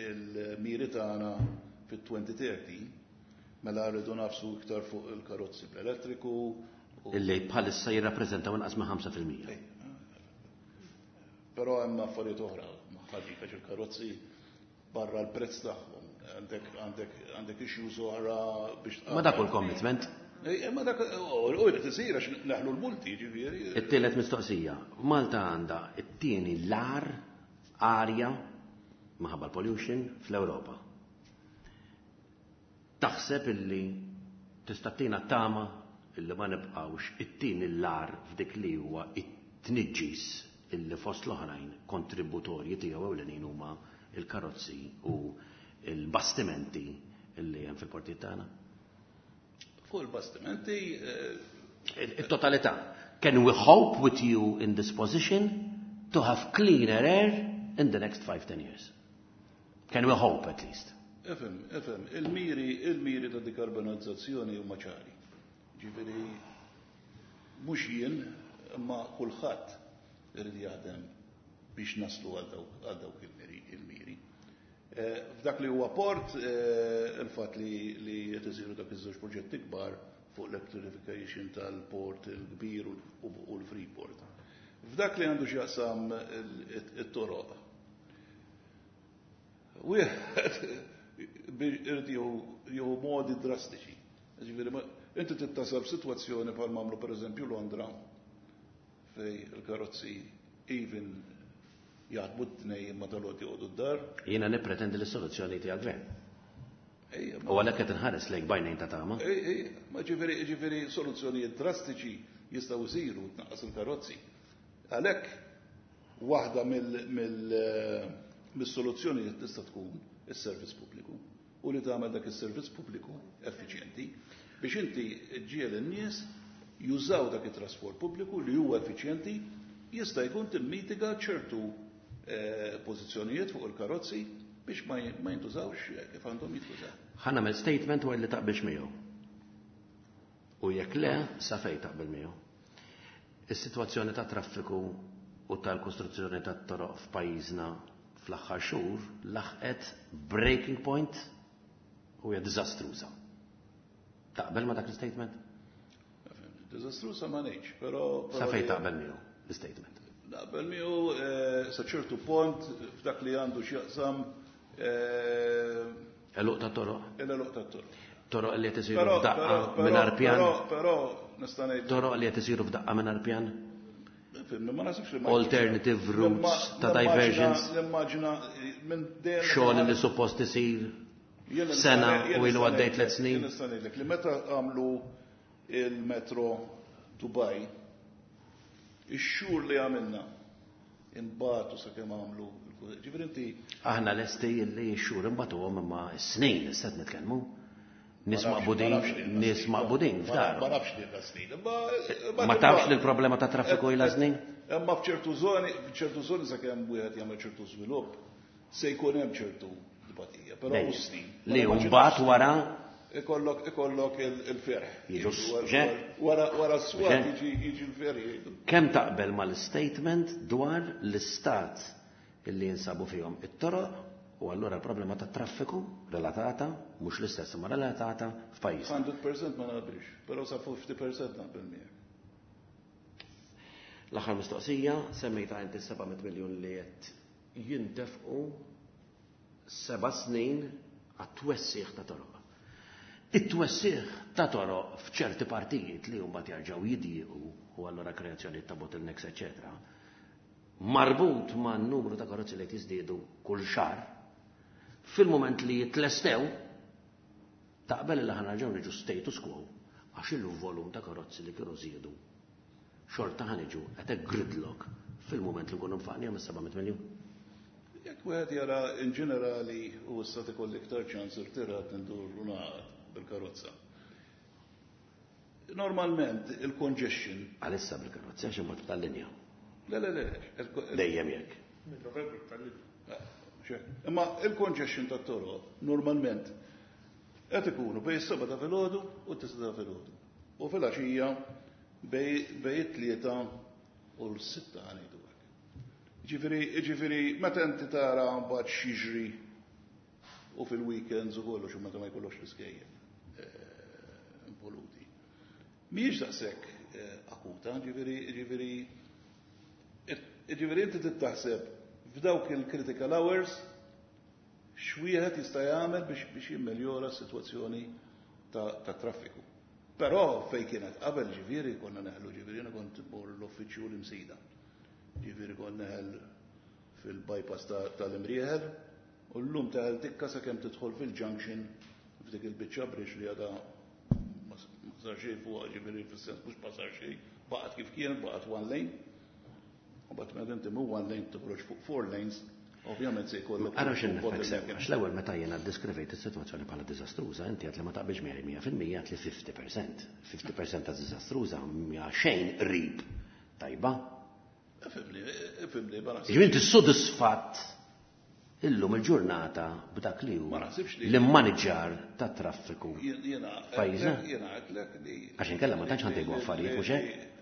il-miri tagħna fit-elfejn u tletin, mela rridu nagħfsu iktar fuq il-karozzi bl-elettriku. Illi bħalissa jirrappreżentaw inqas minn ħamsa fil-mija. Però hemm affarijiet oħra, ħaġi il-karozzi barra l-prezz tagħhom. Għandek għandek għandek issues oħra biex Ma dak il-commitment. Ma dak u jrid isir għax neħlu l-multi, ġifieri. It-tielet mistoqsija. Malta għandha it-tieni l-agħar arja minħabba l-pollution fl-Ewropa. Taħseb illi tista' tina tama illi ma nibqgħux it-tieni l-agħar f'dik li huwa it-tniġġis illi fost l-oħrajn kontributorji tiegħu ewlenin huma il-karozzi u il-bastimenti illi hemm fil-portijiet tagħna? Fuq il-bastimenti. Il-totalità. Can we hope with you in this position to have cleaner air in the next five, ten years? Can we hope at least? Ifhem, ifhem, il-miri, il-miri ta' dekarbonizzazzjoni huma ċari. Ġifieri, mhux jien, imma kulħadd irid jaħdem biex naslu għal dawk il-miri. Eh, f'dak li huwa port, eh, il-fatt li li qed isiru dak iż-żewġ proġetti kbar fuq l-electrification tal-port il-kbir u l-Freeport. F'dak li għandu x'jaqsam it-toroq. Wieħed irid jieħu modi drastiċi. Ġifieri, inti tittasal f'sitwazzjoni bħal m'għamlu, pereżempju, Londra, fej il-karozzi even jaħdmu t-tnejn imma tal-għoti joqogħdu d-dar. Jiena nippretendi li soluzzjoni tiegħek gvern. U għalhekk qed inħares lejk b'għajnejn ta' tama. Ma ġifieri ġifieri soluzzjonijiet drastiċi jistgħu jsiru, tnaqqas il-karozzi. Għalhekk waħda mill-soluzzjonijiet tista' tkun is-servizz pubbliku u li tagħmel dak is-servizz pubbliku effiċjenti biex inti ġiel in-nies jużaw dak it-trasport pubbliku li huwa effiċjenti, jista' jkun timmitiga ċertu eh, pożizzjonijiet fuq il-karozzi biex ma jintużawx kif għandhom jintużaw. Ħa nagħmel statement u li taqbilx miegħu. U jekk le, sa fejn taqbel miegħu. Is-sitwazzjoni ta' traffiku u tal-kostruzzjoni tat-toroq f'pajjiżna fl-aħħar xhur laħqet breaking point u hija diżastruża. Taqbel ma dak l-statement? Diżastruża ma ngħidx, però Sa fejn taqbel miegħu l-statement? Naqbel miegħu eh, sa ċertu punt f'dak li għandu x'jaqsam eh, Għeluq ta' toroq. Il-għeluq ta' toroq. Toroq li qed isiru f'daqqa mingħajr pjan. Però nista' ngħid Toroq li qed isiru f'daqqa mingħajr pjan. Ma nasibx li Alternative routes ta' diversions. Nimmaġina minn dejjem Xogħol li suppost isir sena u ilu għaddej tliet snin. Jien nista' ngħidlek li meta għamlu il-metro Dubai, ix-xhur li għamilna imbagħtu sakemm għamlu, ġifieri inti Aħna lesti li x-xhur imbagħtuhom, imma s-snin issa qed nitkellmu. Nies maqbudin, nies maqbudin f'dar. Ma nafx li snin. Ma tafx li l-problema ta' traffiku ilha snin? Imma f'ċertu żoni, f'ċertu żoni sakemm wieħed jagħmel ċertu żvilupp, se jkun hemm ċertu dbatija, però mhux snin. Li mbagħad wara ikollok ikollok il-ferħ. Jiġu Wara wara s-swat jiġi jiġi l-ferħ jgħidu. Kemm taqbel mal-statement dwar l-istat illi jinsabu fihom it-toroq u allura l-problema ta' traffiku relatata, mhux l-istess ma relatata f'pajjiż? mija fil-mija ma naqbilx, però sa ħamsin fil-mija naqbel miegħek. L-aħħar mistoqsija, semmejta inti seba' mitt miljun li qed jintefqu seba' snin għat-twessiħ ta' toroq. It-twessiħ ta' toroq f'ċerti partijiet li huma jerġgħu jidjiequ u allura kreazzjoni ta' bottlenecks, eċetera. Marbut ma' numru ta' karozzi li jiżdiedu kull xahar, fil-moment li jitlestew, taqbel li ħa nerġgħu niġu status quo għax il-volum ta' karozzi li kienu żiedu xorta ħa niġu at a gridlock fil-moment li nkunu nfaqna mis-seba' mitt miljun? Jekk wieħed jara in ġenerali u issa ikolli iktar ċans irtirat ndur u naqgħad bil-karozza. Normalment il-congestion Għalissa bil-karozza għax imbagħad tal-linja. Le, le, le. Dejjem jekk. Minn Novembru tal-linja. Imma il-congestion tat-toroq normalment qed ikunu bejn is-seba' ta' filgħodu u t-tisa' ta' filgħodu. U filgħaxija bejn it-tlieta u l-sitta ħa ngħidu hekk. Ġifieri, ġifieri, meta inti tara mbagħad x'jiġri u fil-weekends u kollox u meta ma jkollokx l-iskejjel eh, involuti. Mhijiex daqshekk eh, akuta, ġifieri, ġifieri, ġifieri inti taħseb f'dawk il-critical hours x'wieħed jista' jagħmel biex biex jimmeljora s-sitwazzjoni ta', ta traffiku. Però fej kienet qabel, ġifieri, konna neħlu, ġifieri, jiena kont immur l-uffiċċju l-Imsida. Ġifieri kont neħel fil-bypass tal-Imrieħel u llum teħel tikka sakemm tidħol fil-junction f'dik il-biċċa bridge li għadha ma sar xejn fuqha, ġifieri fis-sens mhux ma sar xejn, baqgħet kif kienet, baqgħet one lane. U mbagħad meta inti mhu one lane toħroġ fuq four lanes, ovvjament se jkollok. Ara x'in sew, għax l-ewwel meta jiena ddeskrivejt is-sitwazzjoni bħala diżastruża, inti għedt li ma taqbilx miegħi mija fil-mija, għedt li fifty percent. fifty percent ta' diżastruża mija xejn qrib tajba. Ifhimni, ifhimni, ma naħsibx. Ġifieri inti sodisfatt illum il-ġurnata b'dak li hu Ma naħsibx li- l-immaniġġar ta' traffiku Jiena f'pajjiżna? Jiena għedtlek li. Għax inkella ma tantx ħa ntejbu affarijiet, mhux hekk?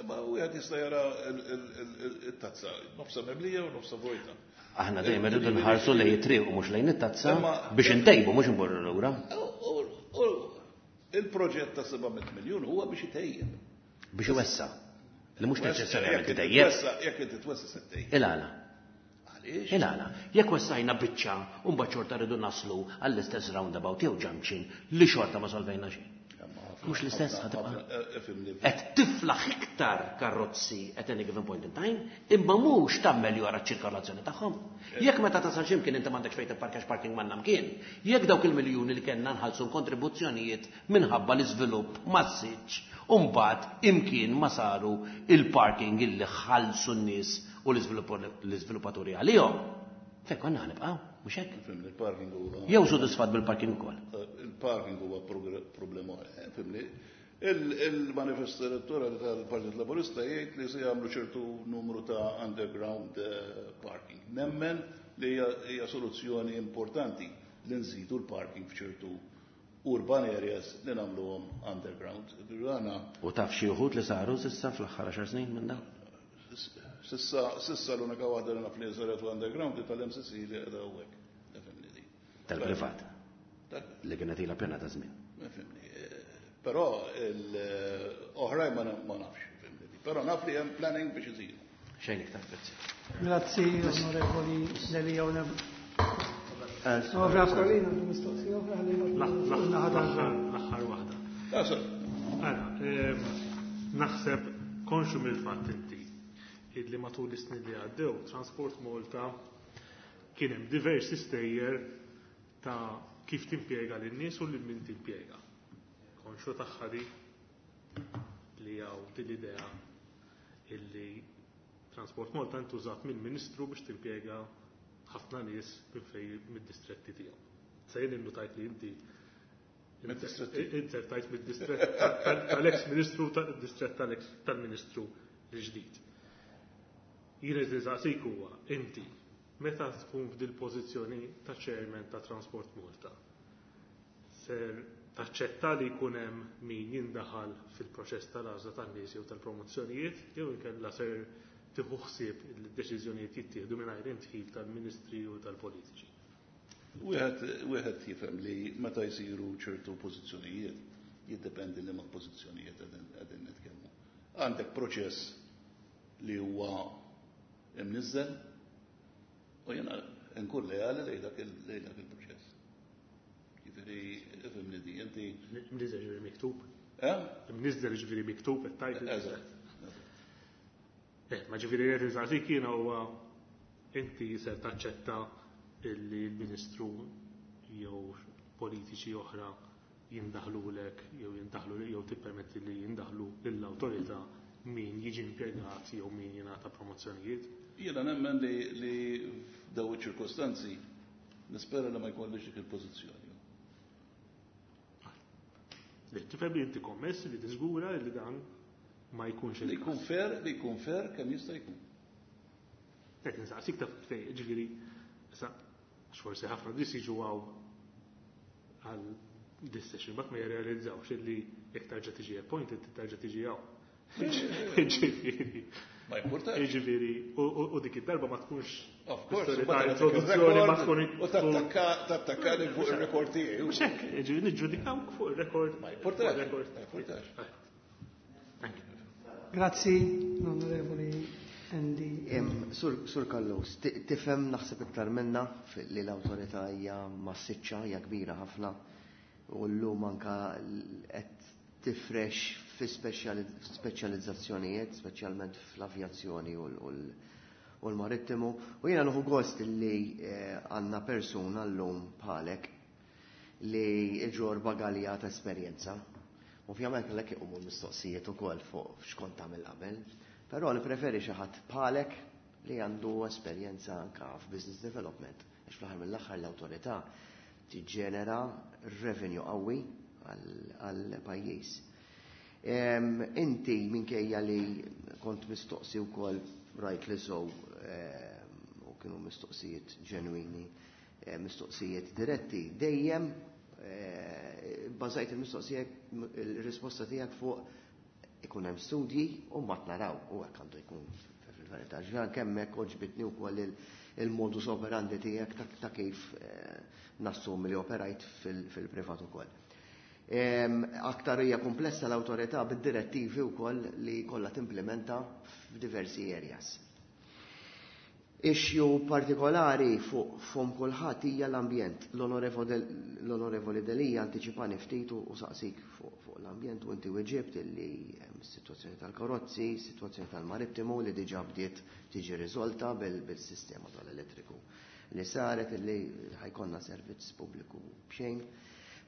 Ma wieħed jista' jara il-tazza, nofsa mimlija u nofsa vojta. Aħna dejjem irridu nħarsu lejn it-triq u mhux lejn it-tazza Imma- biex intejbu, mhux imborru lura. U- u- u Il-proġett ta' seba' mitt miljun huwa biex itejjeb. Biex iwessa. Li mhux neċessarjament Jekk inti itejjeb. twessa- Jekk inti twessa se ttejjeb. Il-għala. Għaliex? Il-għala. Jekk wessajna biċċa u mbagħad xorta rridu naslu għall-istess roundabout jew junction li xorta ma solvejna xejn. Mhux l-istess Ħafna- ħa tibqa'. ħafna- Ifhimni. Qed tiflaħ iktar karozzi at any given point in time, imma mhux tammeljora ċ-ċirkolazzjoni tagħhom. Jekk meta tasal x'imkien inti m'għandekx fejn tipparkax, parking m'għandna mkien, jekk dawk il-miljuni li kellna nħallsu kontribuzzjonijiet minħabba l-iżvilupp massiċ, u mbagħad imkien ma saru il-parking illi ħallsu n-nies u l-iżviluppaturi għalihom. Fejn konna ħa nibqgħu, mhux hekk? Ifhimni, il-parking huwa. Jew sodisfatt bil-parking ukoll? Il-parking huwa problema. Ifhimni. Il-manifest elettorali tal-Partit Laburista jgħid li se jagħmlu ċertu numru ta' underground eh, parking. Nemmen li hija hija soluzzjoni importanti li nżidu l-parking f'ċertu urban areas li nagħmluhom underground. Għana U taf xi wħud li saru s'issa fl-aħħar għaxar snin minn dawn? S'issa s'issa l-unika waħda li naf li saret underground tal-M C C li qiegħda hawnhekk. Ifhimni di. Tal-privat Dak- li kienet ilha pjena ta' żmien. Ifhimni. eh, Però l-oħrajn ma ma nafx, ifhimni di. Però naf li hemm planning biex isiru. Xejn iktar, grazzi. Grazzi, Onorevoli Delia. Onorevoli Aquilina, mistoqsija oħra li L-aħħar waħda. Ah, sorry. Ara, ehm, naħseb konxu mill-fatt inti illi matul is-snin li għaddew Transport Malta kien hemm diversi stejjer ta' kif timpjega lin-nies u lil min timpjega. Konxu tagħha di li hawn din l-idea illi Transport Malta ntużat mill-Ministru biex timpjega ħafna nies minn fej mid-distretti tiegħu. Se jien innutajt li inti Mid-distretti. inzertajt mid-distrett tal-ex ministru, tal-distrett tal-ex tal-ministru l-ġdid. Jien qed nistaqsik huwa inti meta tkun f'dil pożizzjoni ta' chairman ta' Transport Malta, ser taċċetta li jkun hemm min jindaħal fil-proċess tal-għażla tan-nies jew tal-promozzjonijiet jew inkella ser tieħu ħsieb li d-deċiżjonijiet jittieħdu mingħajr indħil tal-ministri u tal-politiċi? Wieħed wieħed jifhem li meta jsiru ċertu pożizzjonijiet, jiddependi li ma' pożizzjonijiet qegħdin qegħdin nitkellmu. Għandek proċess li huwa imniżżel u jiena nkun leali lejn dak il- lejn dak il-proċess. Jiġifieri, ifhimni di, inti Mniżel ġifieri miktub. Eh? Mniżel ġifieri miktub qed tajt. Eżatt. Eh, ma ġifieri qed insaqsik jiena huwa inti ser taċċetta illi l-Ministru jew politiċi oħra jindaħlulek jew jindaħlu jew tippermetti li jindaħlu lill-awtorità min jiġi impjegat jew min jingħata promozzjonijiet? Jiena nemmen li li f'daw iċ-ċirkostanzi nispera li ma jkollix dik il-pożizzjoni. Li tifhem li inti kommess li tiżgura li dan ma jkunx Li il-każ. jkun fair, li jkun fair kemm jista' jkun. Qed insaqsik taf fej, ġifieri, issa, għax forsi ħafna nies jiġu hawn għal this session, but ma jirrealizzawx illi jekk tarġa' tiġi appointed, tarġa' tiġi hawn. Ġifieri. Ma importax. Ġifieri, u dik id-darba ma tkunx Of course, ta' introduzzjoni ma tkun. U tattakkani fuq il-rekord tiegħi. Mhux hekk, ġifieri niġġudikawk fuq il-rekord. Ma importax. Ma importax. Grazzi, l-Onorevoli Andy. Sur Callus, tifhem naħseb iktar minna li l-awtorità hija massiċċa, hija kbira ħafna u llum anka qed tifrex fi speċjalizzazzjonijiet, speċjalment fl-avjazzjoni u l-marittimu. U jiena nieħu gost li għandna persuna llum bħalek li iġorr bagalja ta' esperjenza. Ovvjament kellek iqumu l-mistoqsijiet ukoll fuq x'kont tagħmel qabel, però nippreferi xi ħadd bħalek li għandu esperjenza anka f'business development, għax fl-aħħar mill-aħħar l-awtorità tiġġenera revenue qawwi għal pajjiż. Inti minkejja li kont mistoqsi wkoll rightly so, u kienu mistoqsijiet ġenwini, mistoqsijiet diretti, dejjem bażajt il-mistoqsija, il-risposta tiegħek fuq ikun hemm studji u mbagħad naraw, u hekk għandu jkun fil-verità. Ġan kemm hekk għoġbitni wkoll il-modus operandi tiegħek ta' kif nassumi li operajt fil-privat ukoll. Aktar hija komplessa l-awtorità bid-direttivi wkoll li kollha timplementa f'diversi areas. Issue partikolari fuq fom kulħadd hija l-ambjent. L-Onorevoli Delia antiċipani ftit u saqsik fuq l-ambjent u inti weġibt illi hemm is-sitwazzjoni tal-karozzi, sitwazzjoni tal-marittimu li diġà bdiet tiġi riżolta bil-sistema tal-elettriku li saret, illi ħa jkollna servizz pubbliku b'xejn.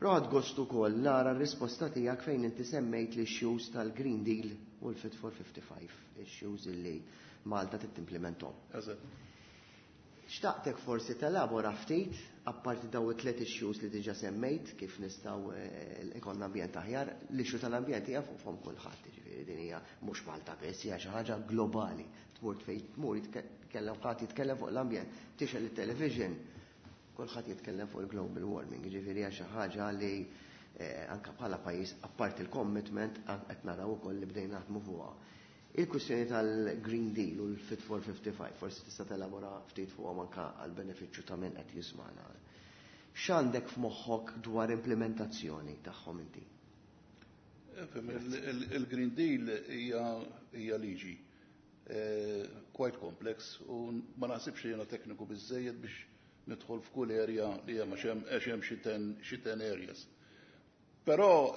Però ħadt gost ukoll nara r-risposta tiegħek fejn inti semmejt l-issues tal-Green Deal u l-Fit for fifty-five, issues illi Malta tittimplementhom. Xtaqtek forsi telabora ftit, apparti daw it-tliet issues li diġà semmejt, kif nistgħu ikollna ambjent aħjar. L-issue tal-ambjent hija fuq fom kulħadd, jiġifieri din hija mhux Malta biss, hija xi ħaġa globali. Tmur fejn tmur jitkellem ħadd jitkellem fuq l-ambjent, tixgħel it-television, kulħadd jitkellem fuq il-global warming, jiġifieri hija xi ħaġa li anke bħala pajjiż, apparti il-commitment, qed naraw ukoll li bdejna naħdmu fuqha. Il-kwistjoni tal-Green Deal u l-Fit for fifty-five, forsi tista' telabora ftit fuqhom anke għall-benefiċċju ta' min qed jismana. X'għandek f'moħħok dwar implementazzjoni tagħhom inti? Il-Green Deal hija liġi quite complex u ma naħsibx li jiena tekniku biżejjed biex nidħol f'kull area li hemm, għax hemm xi ten areas. Però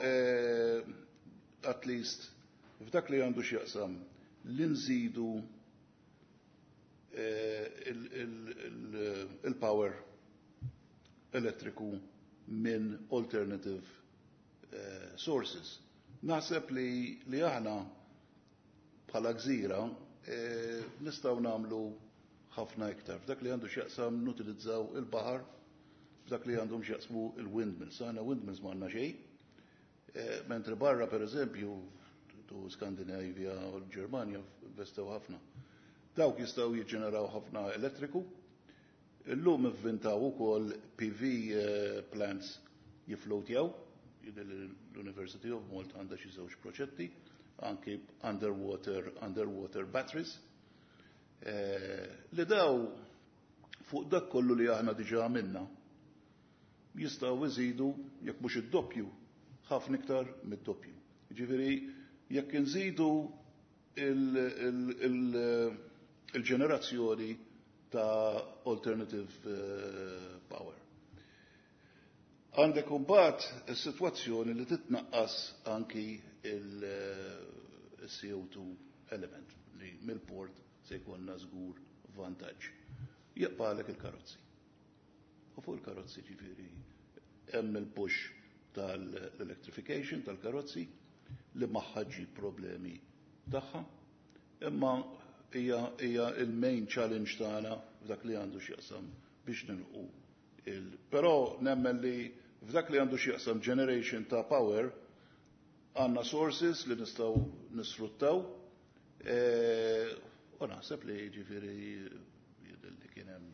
at least f'dak li għandu x'jaqsam li nżidu il-power elettriku minn alternative sources. Naħseb li li aħna bħala gżira nistgħu nagħmlu ħafna iktar. F'dak li għandu x'jaqsam nutilizzaw il-baħar, f'dak li għandhom x'jaqsmu il-windmills. Aħna windmills ma għandna xejn. Mentri barra, per eżempju, tu Skandinavia u l-Ġermanja investew ħafna. Dawk jistgħu jiġġeneraw ħafna elettriku. Illum ivvintaw ukoll P V plants jiflotjaw. L-University of Malta għandha xi żewġ proġetti, anki underwater, underwater batteries. Li daw fuq dak kollu li aħna diġà għamilna jistgħu iżidu jekk mhux id-doppju, ħafna iktar mid-doppju. Ġifieri jekk inżidu il-ġenerazzjoni ta' alternative power. Għandek imbagħad is-sitwazzjoni li titnaqqas anki il-C O two element li mill-port se jkollna żgur vantaġġ. Jibqagħlek il-karozzi. U fuq il-karozzi, ġifieri hemm il-push tal-electrification tal-karozzi li magħha ġġib problemi tagħha, imma hija hija il-main challenge tagħna f'dak li għandu x'jaqsam biex nilqu il. Però nemmen li f'dak li għandu x'jaqsam generation ta' power għandna sources li nistgħu nisfruttaw u naħseb li, ġifieri, li kien hemm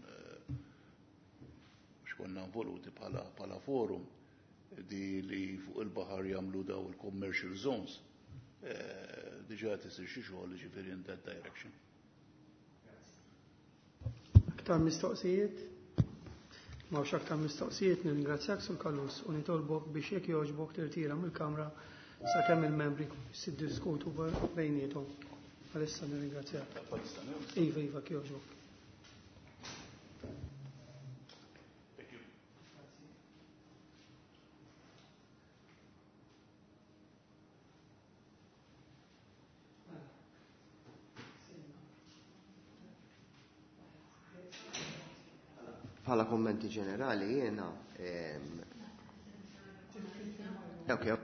x'konna involuti bħala bħala forum di li fuq il-baħar jagħmlu daw il-commercial zones. Diġà qed isir xi xogħol ġifieri in that direction. Aktar mistoqsijiet? M'hawnx aktar mistoqsijiet, nirringrazzjak Sur Callus u nitolbok biex jekk jogħġbok tirtira mill-Kamra sakemm il-membri jiddiskutu bejniethom. Għalissa nirringrazzjak. Iva, iva, jogħġbok. Bħala kommenti ġenerali jiena ok.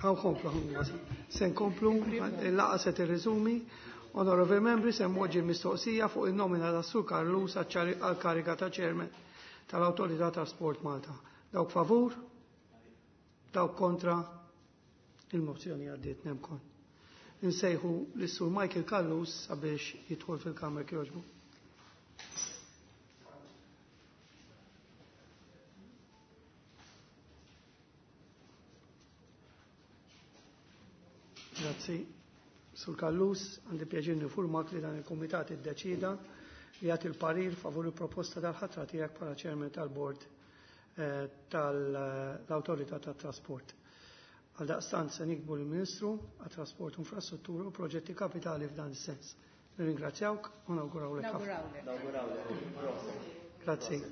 Għan komplu, se nkomplu, il-laqgħa se tirriżumi. Onorevoli membri, se npoġġi mistoqsija fuq il-nomina ta' Sur Callus għal-kariga ta' chairman tal-Awtorità Trasport Malta. Dawk favur? Dawk kontra? Il-mozzjoni għaddiet nemkon. Insejħu lis-Sur Michael Callus sabiex jidħol fil-Kamra kjoġbu. Grazzi. Sur Callus, għandi pjaċir nifurmak li dan il-Kumitat iddeċida li jagħti l-parir favur il-proposta tal-ħatra tiegħek bħala chairman tal-Bord eh, tal-Awtorità tat-Trasport. Għaldaqstant se nikbu l-Ministru għat-Trasport u Infrastruttura u proġetti kapitali f'dan is-sens. Nirringrazzjawk u nawgurawlek ħafna. Nawgurawlek. Grazzi.